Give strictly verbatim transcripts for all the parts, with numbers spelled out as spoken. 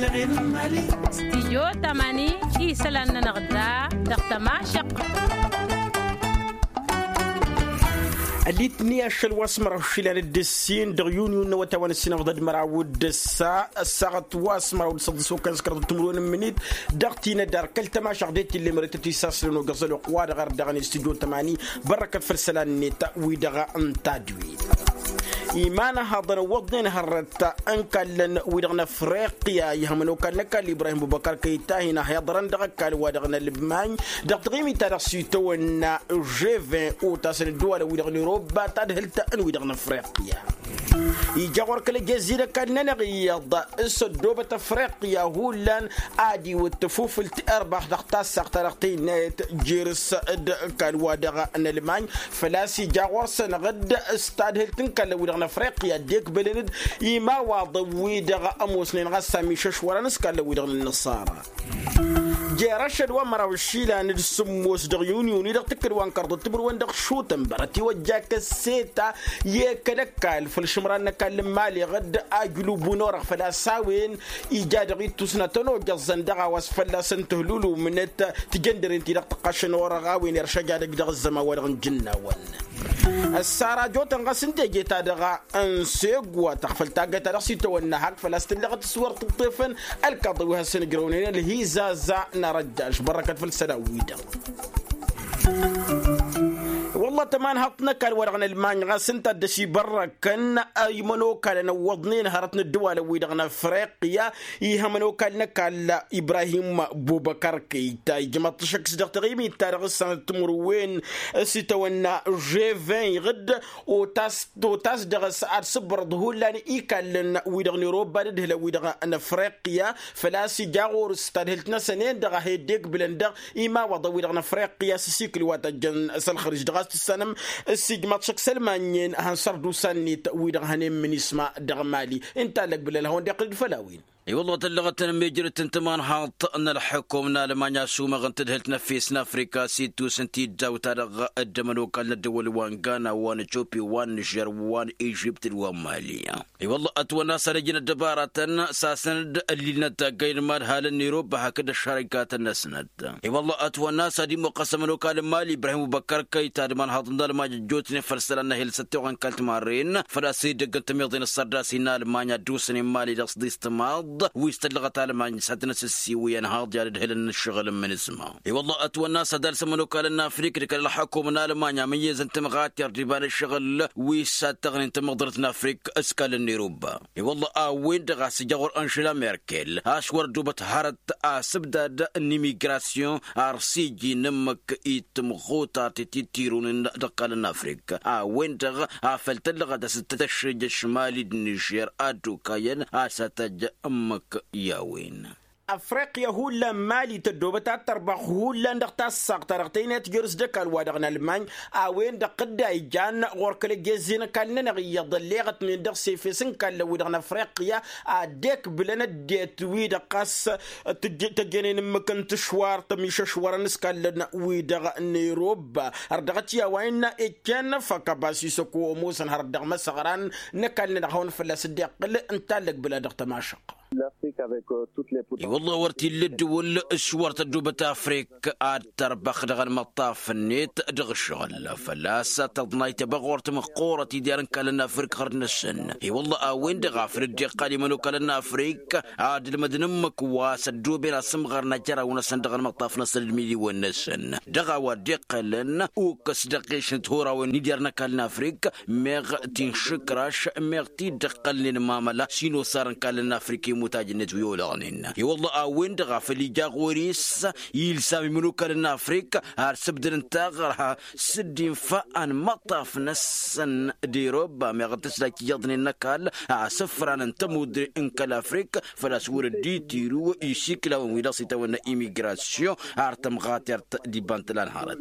Stijyo tămani isălan-nănăɣ da dăɣ-tămašăq. Ălitni ašăl wa s-măraw išilan d-ǝssin dăɣ-yunyu n-awătay wa n-ǝssin ămḍăd măraw d-ǝssa ăssaɣăt wa s-măraw d-săḍǝs okăyăn s-kăraḍăt timǝrwen n-imǝnit dăɣ-tinădar kăl-tămašăɣ d-e-t-ille mărătăt isassǝlăn ogăẓăl wa dăɣ-ărdăɣăn i-stijyo tămani. Bărrăkăt făll-isălan-net wi-dăɣ n-tadwit. Iman ăhaḍăn ǝwwăḍnen hărăt n-kallăn wi-dăɣ n-afriqya ihămăn okall n-ăkall ibrahim bubăkar kăy-tahin ăhiḍărăn dăɣ-ăkall wa dăɣ-nălmany dăɣ-taɣimit-ta-dăɣ s-itawănna ževin otasăn ăddăwalăn wi-dăɣ n-irobba tadhǝlt n-wi-dăɣ n-afriqya. Ija ɣur-kăl-ăjezzi n-ăkall-nănăɣ iyyăḍ s-ăddoobăt afriqya hullan ad-iwǝt tafufǝlt irbax dăɣ-tassaɣt-ta-dăɣ tăynayăt jer-s d-ăkall wa dăɣ-nălmany. Făl-a-s ija ɣur-săn ɣǝd s-tadhǝlt n-kallăn wi-dăɣ n-afriqya dd-ekbălăn-dd imawaḍăn wi-dăɣ ămoosnen ɣas amišăšwărăn s-kallăn wi-dăɣ n-ănnăṣara. Jer-ašăl wa n-măraw išilan d-sǝmmos dăɣ-yunyu-ni dăɣ-tǝkkǝd wa n-kărḍăt timǝrwen dăɣ-šutănbăr ătiwăjja kăsseta i-kăl-ăkall făll-išǝmran n-ăkall n-imali ɣǝd ajlubu n-orăɣ făl-a-s a-wen ija dăɣ-ittus n-ad-tăn-ojăẓẓăn dăɣ-a-wa s-fălla-săn tǝhlulumnăt tijăndăren-ti-dăɣ tăqqašăn orăɣ a-wen iršăj ad-ăj dăɣ-ăzzăman wa dăɣ-nǝjǝnnawăn. Ăssarajotăn ɣas n-teje-ta-dăɣ n-segwa tăɣfăl taggăt ta dăɣ-s itawănna hak făl-a-s tǝllăɣăt s-wăr tǝṭṭefăn ălkaḍăn wi hasăn-ǝjrăwnen ălhizaza n-arăjjaš bărrăkăt făll-isălan-wi-dăɣ. Wălla tămanhaḍt n-ăkall wa dăɣ-nălmany ɣas ǝnta a dd-ăsibărrăkăn imănokalăn ăwwăḍnen hărăt n-ăddăwalăn-wi-dăɣ n-afriqya. Ihămăn okall n-ăkall ibrahim bubăkar kăyta ijmăḍ-t ašăk s-dăɣ taɣimit-ta-dăɣ s-sănăt timǝrwen s-itawănna ževin iɣǝd otas otas dăɣ-s ad-sǝbbărăḍ hullan ikallăn wi-dăɣ n-irobba d-ǝdhǝlăn wi-dăɣ n-afriqya. Făl-a-s ija ɣur-s tadhǝlt-năsăn-en-dăɣ a he-dd-ekbǝlăn dăɣ-imawaḍăn wi-dăɣ n-afriqya s-asikǝl wa tăjjăn s-ălxărǝj dăɣ-a-s tǝssanăm s-ijmaḍ šăkk s-ălmanynen hăn sărdusa-net wi-dăɣ hănen minisma dăɣ-mali. Ǝnta a lăgbǝl ălhăwăn d-iqqǝl-dd făll-a-wen. I-wălla tăllăɣăt-tăn mejrăt n-tămanhaḍt n-ălḥukum n-almanya ăsumăɣ n-tadhǝlt n-efes n-afrika s-ittus n-tiddaw-ta-dăɣ dd-ămănokal n-ăddăwăl wa n-gana wa n-ăcopi wa n-nižer wa n-ižipt d-wa n-mali. I-wălla ătwănna a-s ad-ăjǝn ăddăbaratăn s-asăn-dd ăllilnăt taggăy n-imadhalăn n-irobba hakd ăššarăjkatăn-năsnăt. I-wălla ătwănna a-s ad-imuqqăs ămănokal n-mali ibrahim ubăkkăr kăyta d-imanhaḍăn n-almanya ăjjootnen făll-isălan n-ehel s-ăttoɣăn kalt-marren făl-a-s dd-ăgg n-tămiḍe n-ăṣṣărdas-in n-almanya ădduusnen mali dăɣ-s d-istămaḍ wi s-tăllăɣăt almanya s-ad-tăn-ăssǝssiwǝyăn haḍ i-ad-ǝdhǝlăn n-ǝššăɣǝl n-imǝnǝsma. I-wălla ătwănna a-s ad-alsăm ănokal n-afrik d-kăl-ălxukum n-almanya amǝyyăz n-tămɣater d-iba n-ǝššăɣǝl wi s-ad-tăɣnen tamăḍrăt n-afrik s-kall n-irubba. I-wălla a-wen-dăɣ a-s ija ɣur-anžela merkel a-s wăr ăddoobăt hărăt asǝbdad n-imigrasyon ar s-iji n-ǝmmǝk i-tǝmɣutar ti t-tirun dăɣ-kall n-afrik. A-wen-dăɣ a făl tăllăɣăt a-s t-tăššăj ăšmali d-nižer ad-okayăn a-s ad-tăj ǝmmǝk i-a-wen. Afriqya hullan mali tăddoobăt ad-tărbăɣ hullan dăɣ-tassaɣt-ta-dăɣ tăynayăt jer-s d-ăkall wa dăɣ-nălmany. A-wen-dăɣ tǝdda ijan ɣur-kăl-ăjezzen ăkall-nănăɣ iyyăḍ ălleɣătnen dăɣ-sefes n-kallăn-wi-dăɣ n-afriqya ad-dd-ekbǝlăn ăddinăt-wi-dăɣ ɣas tăjjănen ǝmmǝk n-tǝšwar tămišăšwărăn s-kallăn-wi-dăɣ n-irobba. Ărdăɣăt i-a-wa innă ikken făkăbas isăko ămoosăn hărăt dăɣ-imăsăɣran n-ăkall-nănăɣ hawăn-fălla-s dd-iqqǝl ǝnta a ăllegbǝl-a dăɣ-tămašăq. I-wălla wăr t-illa ăddǝwǝl s-wăr tăddoobăt afrik ad-tărbăx dăɣ-ălmăṭṭaf-net dăɣ-ǝššăɣǝl făl-a-s tăḍnayt ăbăɣ wăr tǝmǝqqurăt idyar n-kallăn afrik ɣărd-năsăn. I-wălla a-wen-dăɣ a făl dd-iqqal imănokalăn n-afrik ad-ǝlmădăn ǝmmǝk wa s-ăddooben asǝmɣar n-ajăraw-năsăn dăɣ-ălmăṭṭaf-năsăn d-imiliwen-năsăn. Dăɣ-a-wa dd-iqqălăn ukǝs dăɣ-ɣešăn tihurawen n-idyar n-ăkall n-afrik meɣ tinšǝkraš meɣ t-dd-ǝqqălnen mamăla s-inosar n-kallăn n-afrik i-imutaj-net wi olăɣnen. I-wălla a-wen-dăɣ a făl ija ɣur-i s-ilsam imănokalăn n-afrik ar sǝbdădăn taɣărha s-dd-infa anmăṭṭaf-năsăn d-irobba meɣ tǝslajt iyyăḍnen n-ăkall asǝfran n-tămudre n-kăl-afrik. Făl-a-s wăr dd-itiru isikǝlawăn wi dăɣ-s itawănna imigrasyon ar tămɣatert d-iba n-tǝla n-hărăt.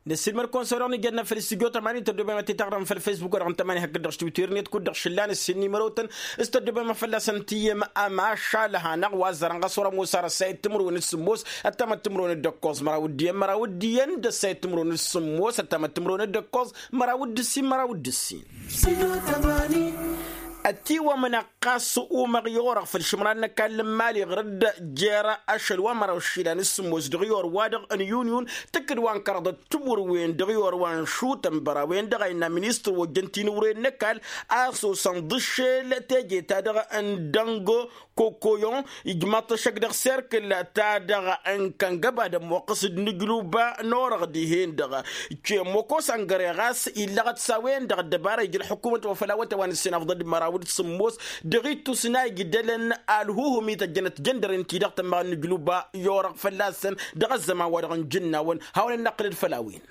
Năssiilmăd-kăwăn s-a-wa dăɣ-nǝjădna făll-studyo tămani tăddoobem ad-t-taɣrăm făll-fesbuk wa dăɣ-n tămani hakd dăɣ-s twitter-net kud-dăɣ šǝllan ǝssin n-imărotăn s-tăddoobem a fălla-săn tǝyyăm. Ămašal hanăɣ wa ăzzărăn ɣas wăr-ămoos ar ăssayăt timǝrwen d-sǝmmos ăttămăt timǝrwen d-ǝkkoẓ măraw d-iyyăn măraw d-iyyăn d-ăssayăt timǝrwen d-sǝmmos ăttămăt timǝrwen d-ǝkkoẓ măraw d-ǝssin măraw d-ǝssin. Ătiwămnăɣ ɣas umăɣ i-orăɣ făll-išǝmran n-ăkall n-imali ɣur-dd jer-ašăl wa n-măraw išilan s-sǝmmos dăɣ-i orwa-dăɣ n-yuniyun. Tǝkkǝd wa n-kăraḍăt timǝrwen dăɣ-i orwa n-išutăn băra-wen-dăɣ a innă ministăr wa ojjăn tinǝwren n-ăkall a sosăn ḍǝššel teje-ta-dăɣ n-dăngo kokoyon ijmaḍ-t ăššăk dăɣ-serkǝl-ta-dăɣ n-kăngăba d-ămmoqqăs d-inǝjluba n-orăɣ dihen-dăɣ. Cemmoko săngăre ɣas illăɣăt s-a-wen-dăɣ ăddăbara ija ălḥukumăt wa făl awătay wa n-ǝssin afḍ d-măraw d-sǝmmos dăɣ-ittus n-a ijdălăn alhuhum ităjjănăt jăndăren-ti-dăɣ tămmaɣ n-inǝjluba i-orăɣ fălla-săn dăɣ-ăzzăman wa dăɣ-nǝjǝnnawăn. Hawăn-ănnăqqǝlăd făll-a-wen.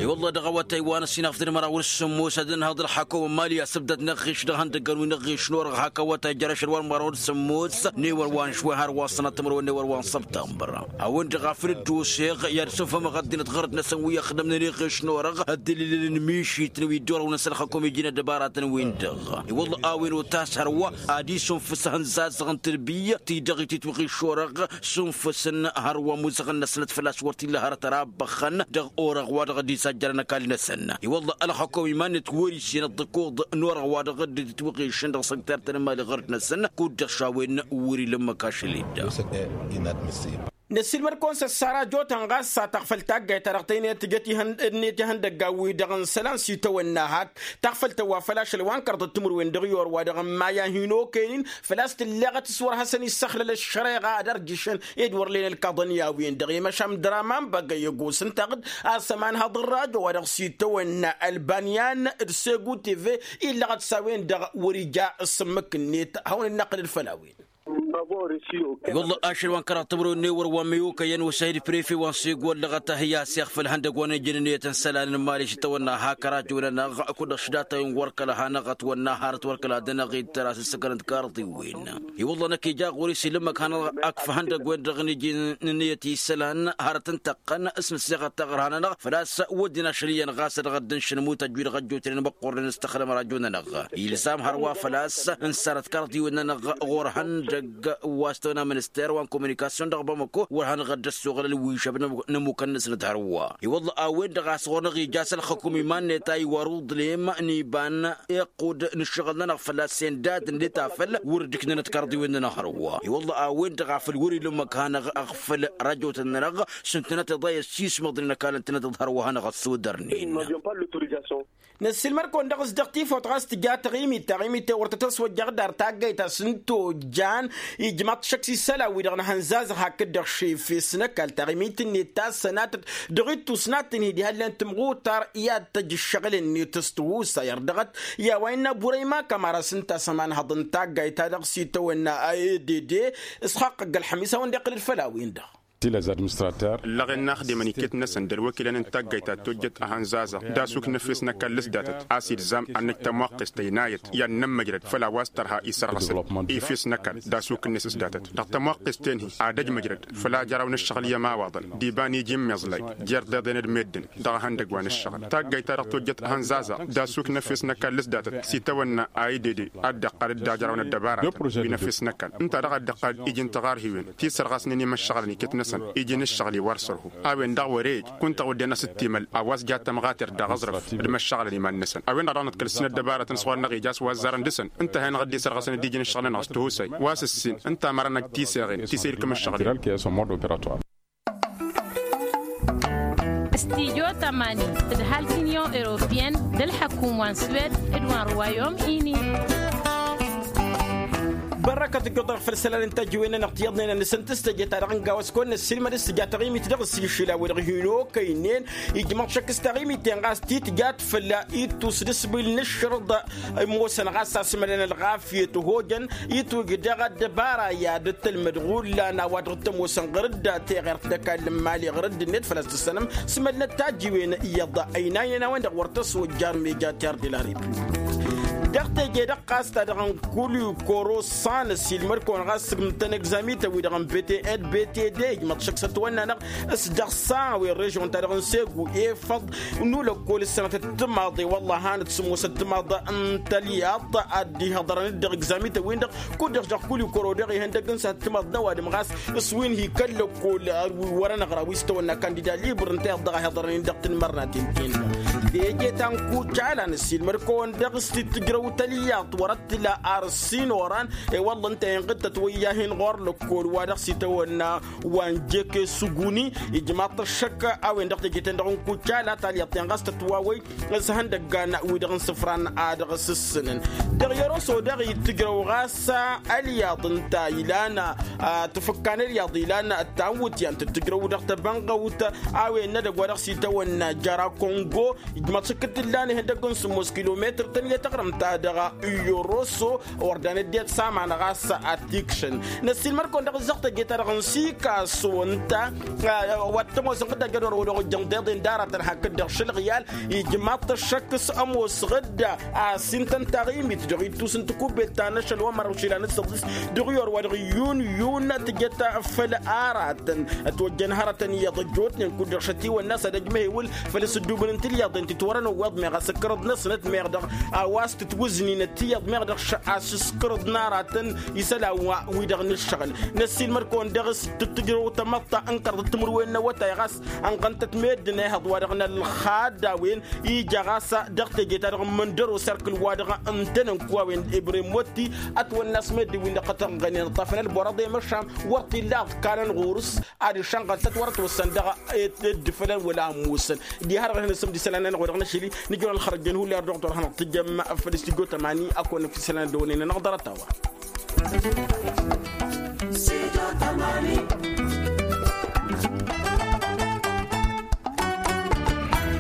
I-wălla dăɣ-awătay wa n-ǝssin afḍ d-măraw d-sǝmmos ad-ănhăḍ ălxakum n-imali asǝbdăd n-aɣiš dăɣ-ihăndăggăn wi n-aɣiš n-orăɣ hak awătay jer-ašăl wa n-măraw d-sǝmmos n-ewăn wa n-išwăy har wa n-sănatămăr wa n-ewăn wa n-săbtămbăr. A-wen-dăɣ a făl dd-oseɣ i-ad-sǝnfămăɣ ăddinăt ɣărăt-năsăn wi ăxdămnen iɣeš n-orăɣ ăddălilăn n-mišităn wi dd-orăwnen s-ălxăkum iji-net dăbara-tăn-win-dăɣ. I-wălla a-wen otas hărwa ad-isunfǝs ahǝnzazăɣ n-tǝlbiyyăt-i-dăɣ ititwăɣ išorăɣ sunfǝsăn hărwa muzăɣăn-năsnăt făl-a-s wăr t-illa hărăt ara ăbbăxxăn dăɣ-orăɣ wa dăɣ-dd-isajjărăn ăkall-năsăn. I-wălla ălxăkum iman-net wăr-isenăt d-ăkuḍ n-orăɣ wa dăɣ-dd-ititwăɣ išăn dăɣ-săktărtăn n-imali ɣărăt-năsăn kud-dăɣ šawăyăn wăr-ila ǝmmǝk ašăl i-dd. Năssiilmăd-kăwăn s-ăssara jotăn ɣas a taɣfăl taggayt-ta-dăɣ tăynăyăt tǝjăt ǝnniyăt ihăndăggan-wi-dăɣ n-isălan s-itawănna hak taɣfăl-tăn wa făl ašăl wa n-kărḍăt timǝrwen dăɣ-i orwa-dăɣ n-maya hin-okăyăn-in făl-a-s tǝlleɣăt s-wăr hasăn-issăxlăl ăššăreɣa ad-ărjǝšăn ed wăr len ălkaḍăn i-a-wen-dăɣ i-măšan draman băgăy ăgos ǝnta-dăɣ-dd a-s ămanhăḍ n-rajo wa dăɣ-s itawănna ălbanyan d-segu teve illăɣăt s-a-wen-dăɣ wăr-ija s-ǝmmǝk-net hawăn-dd-năqqǝlăd făll-a-wen. I-wălla ašăl wa n-kăraḍ timǝrwen n-ewăr wa n-meyokăyăn osăhid prefe wa n-segu ăllăɣăt a hi-aseɣ făll-ihăndăgg wa n-ejăn ǝnniyăt n-isălan n-imali s-itawănna hak ărajo-nănăɣ kud-dăɣ šdatăyăn wăr kăla hanăɣ-ătwănna hărăt wăr kăla dănăɣ-dd tăra s-ǝssǝkălăn tikarḍiwen. I-wălla năkk ija ɣur-i s-ila ǝmmǝk hanăɣ-ăkf ihăndăgg-wen-dăɣ n-iji n-ǝnniyăt i-isălan hărăt n-tăqqăn s-nǝsseɣăt taɣărha-nănăɣ făl-a-s wădden ašăl iyyăn ɣas a dăɣ-dd-nǝššǝnmut ăjjud ăjjootnen măqqornen s-taxlăm rajo-nănăɣ. Ilzam hărwa făl-a-s n-sarăt karḍiwen-nănăɣ ɣur-ihăndăgg wa s-tăwănna minister wa n-kominikasyon dăɣ-bamăko wăr hanăɣ-dd-ăssoɣăl ălwišăb n-ămmukăn-năsnăt hărwa. I-wălla a-wen-dăɣ a-s ɣur-năɣ ija a-s ălxăkum iman-net a iwar uḍlem n-iba n-iqqud n-ǝššăɣǝl-nănăɣ făl-a-s sendadăn d-tafăl wăr dd-ǝknănăt karḍiwen-nănăɣ hărwa. I-wălla a-wen-dăɣ a făl wăr-ila ǝmmǝk hanăɣ-ăɣfăl rajotăn-nănăɣ s-ǝntănăt iḍa i-ăssiismăḍnen ăkall-ǝntănăt d-hărwa hanăɣ-ăssodărnen. Năssiilmăd-kăwăn dăɣ-s dăɣ-tifawt ɣas tǝja taɣimit taɣimit-en wăr tăt-ăswăjjăɣ d-ar taggayt a-s n-tojjan ijmaḍ-t šăkk s-isălan-wi-dăɣ n-ehănzazăɣ hakd-dăɣ šefes n-ăkall taɣimit-net ta s-sănatăt dăɣ-ittus n-ad-tǝnhǝy diha ǝllan tǝmɣutar i-ad-tăj ǝššăɣǝl-net s-tihusay ărdăɣăt i-a-wa innă burăyma kămara s-ǝnta a-s ămanhăḍ n-taggayt-ta-dăɣ s-itawănna a edd s-xaqqăgg ălxămis a-wen-dd-iqqǝl-dd făll-a-wen-dăɣ. Ǝllăɣen n-axdimăn iket-năsăn d-ălwăkilăn n-taggayt ta tojjăt ehănzazăɣ d-asuk n-efes n-ăkall s-datăt a-s ilzam ad-năj tămwaqqest ăynayăt i-ad-nămmăjrăd făll-a-wa s-tărha isărɣăsăn efes n-ăkall d-asuk-net s-datăt dăɣ-tămwaqqest-en-hi ad-ăj măjrăd făll-ajăraw n-ǝššăɣǝl i-ămawaḍăn d-iba n-iji n-imeẓlay jer-iḍeḍen d-meddǝn dăɣ-ehăndăgg wa n-ǝššăɣǝl taggayt-ta-dăɣ tojjăt ehănzazăɣ d-asuk n-efes n-ăkall s-datăt s-itawănna a idede ad-dd-iqqal d-ajăraw n-ăddăbara wi n-efes n-ăkall ǝnta-dăɣ a dd-iqqal iji n-tiɣarhiwen ti sărɣasnen i-imăššăɣălăn iket-năsăn iji n-ǝššăɣǝl-i wăr sărhu a-wen-dăɣ wăr-e-ej kunta odden a-s dd-timăl a-wa s-ja tămɣatert dăɣ-aẓrǝf d-imăššăɣălăn iman-năsăn a-wen-dăɣ dăɣ-năḍkăl s-inăddăbarătăn s-wăr-năɣ ija a-s wa ăzzarăn dăɣ-săn ǝnta a hin-dăɣ dd-isărɣăsăn d-iji n-ǝššăɣǝl-nănăɣ s-tihusay wa s-ǝssin ǝnta a mărănăj tisăɣen ti s-e-ilkǝm ǝššăɣǝl-i. Stijo tămani d-halk unyon europeyăn d-ălḥăkum wa n-swed d-wa n-ruwayom ini. Bărrăkăt ǝjjuḍăɣ făll-isălan n-tăjjiwen-nănăɣ tiyyăḍnen ad-nǝsǝntǝs teje-ta-dăɣ n-gawăs kăwăn-năssiilmăd s-tǝja taɣimit dăɣ-s išila-wi-dăɣ hin-okăynen ijmăḍ šăkk s-taɣimit-en ɣas ti tǝjat făll-ittus d-asbǝl n-ašrǝḍ ămoosăn ɣas a-s mălăn ălɣafyăt hojăn itwǝj daɣ ăddăbara i-ad-tălmăd ɣullan a-wa dăɣ-t ămoosăn ɣăr-dd teɣert d-ăkall n-imali ɣăr-dd-net făl-a-s tǝssănăm s-mălnăt tajjiwen iyyăḍ ăynaynen a-wen-dăɣ wăr tăswăjjar meja terr de la republik. Dăɣ-teje-dăɣ ɣas ta dăɣ-n kulikoro s-a năssiilmăd-kăwăn ɣas sǝgmǝtăn egzamităn-wi-dăɣ n-btn btd ijmăḍ šăkk s-ătwănna-năɣ s-dăɣ-s a-wen režion-ta-dăɣ n-segu efăḍ n-ulăkkol ǝssănăt ăttămaḍ i-wălla a hanăt-sǝmmos ăttămaḍ n-tălyaḍt ad-dd-ihăḍărăn-dd dăɣ-egzamităn-win-dăɣ kud-dăɣ dăɣ-kulikoro dăɣ-ihăndăgg n-săhat ăttămaḍ n-ăwadǝm ɣas s-wi n-hi kăl-lăkkol wăr-ănăɣra wi s-tăwănna kandida libăr ǝnta iyyăḍ dăɣ-a hi-iḍărăn-in dăɣ-tanmărnaten-ten-dăɣ. Teje ta n-kucala năssiilmăd-kăwăn dăɣ-s t-tǝjrăw tălyaḍt wăr-ăttǝla ar ǝssin oran. I-wălla ǝnta inɣǝd-tăt wăyyahen ɣur-lăkkol wa dăɣ-s itawănna wa n-jeke suguni. Ijmaḍ-t ăššăk a-wen dăɣ-teje-ten-dăɣ n-kucala talyaḍt-ten ɣas tătwawăy s-ihăndăggan-wi-dăɣ n-isǝfran a dăɣ-s ǝssǝnăn. Dăɣ-i-ăroso daɣ itǝjrăw ɣas ălyaḍ ǝnta ilan tǝfǝkkan ălyaḍ ilan ăttanwǝtyan tǝttǝjrăw dăɣ-tebănɣăwt a-wen n-edăgg wa dăɣ-s itawănna jăra kongo. Ijmaḍ šǝkkǝd t-ǝllan ihăndăgg n-sǝmmos kilometăr tăn-i tăɣrǝmt-ta-dăɣ i-oroso. Wăr dan ăddinăt s-aman ɣas ad-t-ikšăn. Năssiilmăd-kăwăn dăɣ-ǝzzăɣ teje-ta-dăɣ n-sikaso ǝnta wa t-ămoos ǝnɣǝd ajădor-wi-dăɣ ojjăn deḍen d-aratăn hakd-dăɣ šălɣiyal. Ijmaḍ-t ăššăk s-ămoosăɣ-dd a-s intăn taɣimit dăɣ-ittus n-tikubbet ta n-ašăl wa măraw išilan d-săḍis dăɣ-i orwa dăɣ-yun yun tǝjăt făll-aratăn. Ătwăjjăn hărătăn iyyăḍ ăjjootnen kud-dăɣ šătiwănna s-ad-ăjmăhewǝl făll-asǝddubǝn n-tilyaḍen ti t-wărăn ăwweḍ meɣ asǝkkărăḍ-năsnăt meɣ dăɣ-a-wa s-tǝtwǝzninăt tiyyăḍ meɣ dăɣ-š-asǝskărăḍ n-aratăn isălan wa wi-dăɣ n-ǝššăɣǝl. Năssiilmăd-kăwăn dăɣ-s tǝttǝjrăw tamăḍta n-kăraḍ d-timǝrwen n-awătay ɣas ănɣăn-tăt meddǝn ehăḍ wa dăɣ-nălxad a-wen ija ɣas dăɣ-teje-ta-dăɣ n-măndăro serkǝl wa dăɣ-ǝntănăn kuwawen ibrem wătti. Ătwănna a-s meddǝn-win-dăɣ tăt-ănɣănen ǝṭṭafăn ălborăḍ i-măšan wăr t-illa ad-kanăn ɣur-s ad-išănɣăl-tăt wăr-ătwăssan dăɣ-ădd fălăn wăla ămmusăn. Diha-dăɣ ad-hin-ăssǝmd isălan-nănăɣ wa dăɣ-năšăli nǝjrăw ălxărăjjăn hullan dăɣ-tor hanăɣ-tǝjjăm făll-studyo tămani ad-kăwăn-nǝkf isălan ăddăwănen-nănăɣ ḍarăt-a-wa.